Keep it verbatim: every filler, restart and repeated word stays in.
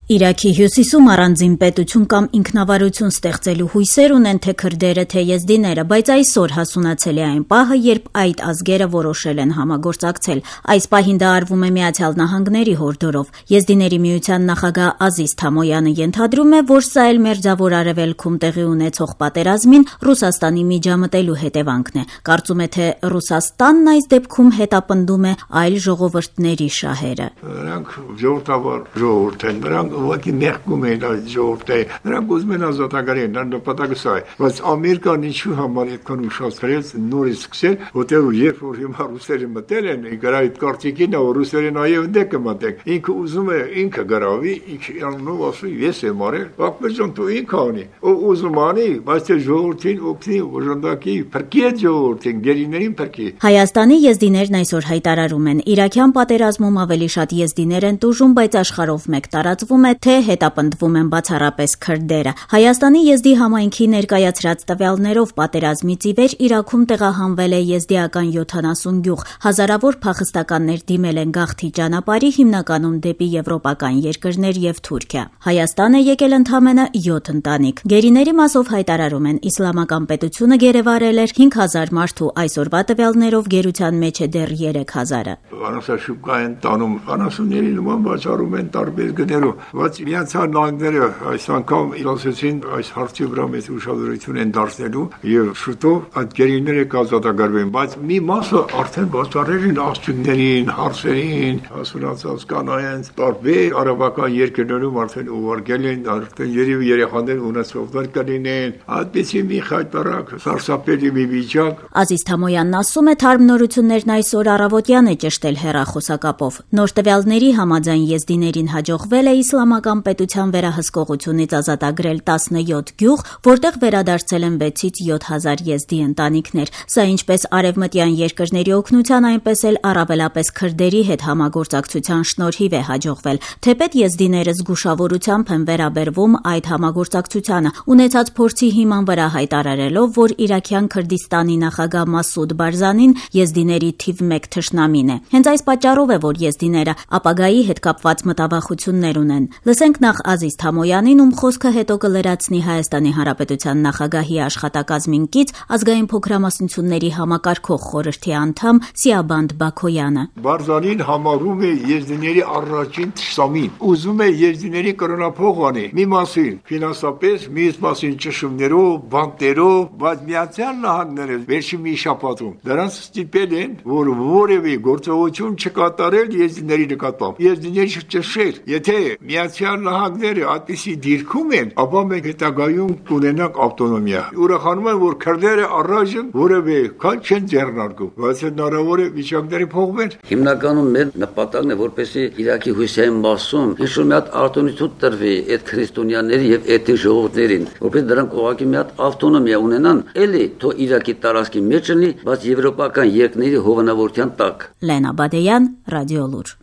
Իրաքի հյուսիսում առանձին պետություն կամ ինքնավարություն ստեղծելու հույսեր ունեն թե քրդերը, թե եզդիները, բայց այսօր հասունացել է այն պահը, երբ այդ ազգերը որոշել են համագործակցել։ Այս պահին դա արվում է Միացյալ Նահանգների հորդորով։ Եզդիների միության նախագահ Ազիզ Թամոյանը ենթադրում է, որ սա էլ Մերձավոր Արևելքում տեղի ունեցող պատերազմին Ռուսաստանի միջամտելու հետևանքն է։ Կարծում է, թե Ռուսաստանն այս դեպքում հետապնդում է այլ ժողովուրդների շահերը։ Նրանք ժողովրդավար ժողովուրդ են, նրանք ուղղակի մեղքում են այդ ժողովրդի, նրանք ուզում են ազատագրել, նրանք նպատակը սա է, բայց Ամերիկան ինչու համար այդքան ուշացրեց նորից սկսել, որտեղ երբ որ հիմա ռուսերը մտել են, գրա այդ կարտիկին, որ ռուսերը նաև դե կմտեն, ինքը ուզում է ինքը գրավի, ինքը անունով ասում ես եմ արել, բակմեջան դու ինքը անի, ով ուզում անի, բայց թե ժողովրդին օգնի, օժանդակի, փրկի այդ ժողովրդին, գերիներին փրկի։ Հայաստանի եզդիներն այսօր հայտարարում են, իրաքյան պատերազմում ավելի շատ եզդիներ են տուժում, բայց աշխարհով մեկ տարածվում է, թե հետապնդվում են բացառապես քրդերը։ Հայաստանի եզդի համայնքի ներկայացրած տվյալներով պատերազմից ի վեր Իրաքում տեղահանվել է եզդիական յոթանասուն գյուղ, հազարավոր փախստականներ դիմել են գաղթի ճանապարհի, հիմնականում դեպի եվրոպական երկրներ եւ Թուրքիա։ Հայաստան է եկել ընդամենը յոթ ընտանիք։ Գերիների մասով հայտարարում են, իսլամական պետությունը գերեվարել էր հինգ հազար մարդու, այսօրվա տվյալներով գերության մեջ է դեռ երեք հազարը։ Անասաշուկա են տանում, անասունների նման բացառում են տարբեր գներով, բայց Միացյալ Նահանգները այս անգամ ասեցին այս հարցի վրա մեծ ուշադրություն են դարձնելու եւ շուտով այդ գերիները կազատագրվեն, բայց մի մասը արդեն բացառել են աստղներին, հարցերին, հասունացած կանայենց տարբեր արաբական երկրներում արդեն ուղարկել են, արդեն երևի երեխաներ ունեցողներ կլինեն, այդպեսի մի խայտարակ սարսափելի մի վիճակ։ Ազիզ Թամոյանն ասում է, թարմնորություններն այսօր առավոտյան է ճշտել հեռախոսակապով։ Նոր տվյալների համաձայն եզդիներին հաջողվել է իսլամական պետության վերահսկողությունից ազատագրել տասնյոթ գյուղ, որտեղ վերադարձել են վեցից յոթ հազար եզդի ընտանիքներ։ Սա ինչպես արևմտյան երկրների օգնության, այնպես էլ առավելապես քրդերի հետ համագործակցության շնորհիվ է հաջողվել։ Թեպետ եզդիները զգուշավորությամբ են վերաբերվում այդ համագործակցությանը, ունեցած փորձի հիման վրա հայտարարելով, որ Իրաքյան Քրդիստանի նախագահ Մասուդ Բարզանին եզդիների թիվ մեկ թշնամին է։ Հենց այս պատճառով է, որ եզդիները ապագայի հետ կապված մտավախություններ ունեն։ Լսենք նախ Ազիզ Թամոյանին, ում խոսքը հետո կլրացնի Հայաստանի Հանրապետության նախագահի աշխատակազմին կից ազգային փոքրամասնությունների համակարգող խորհրդի անդամ Սիաբանդ Բաքոյանը։ Բարզանին համարում է եզդիների առաջին թշնամին, ուզում է եզդիների կրոնափող անի, մի մասին ֆինանսապես, մյուս մասին ճշումներով, բանկերով, բայց Միացյալ Նահանգները վերջին մի շաբաթում դրանց ստիպել են, որ որևէ գործողություն չկատարել եզդիների նկատմամբ։ Եզդիների չճշել, եթե Միացյալ Նահանգները այդպիսի դիրքում են, ապա մենք հետագայում կունենանք ավտոնոմիա։ Ուրախանում եմ, որ քրդերը առայժմ որևէ քայլ չեն ձեռնարկում, բայց հնարավոր է վիճակները փոխվեն։ Հիմնականում մեր նպատակն է, որպեսզի Իրաքի հյուսիսային մասում ինչ-որ մի հատ արտոնություն տրվի այդ քրիստոնյաների եւ էթնիկ ժողովուրդներին, որպես դրանք ուղղակի մի հատ ավտոնոմիա ունենան, էլի թող Իրաքի տարածքի մեջ լինի, բայց եվրոպական երկրների հովանավորության տակ։ Լենա Բադեյան, Ռադիոլուր։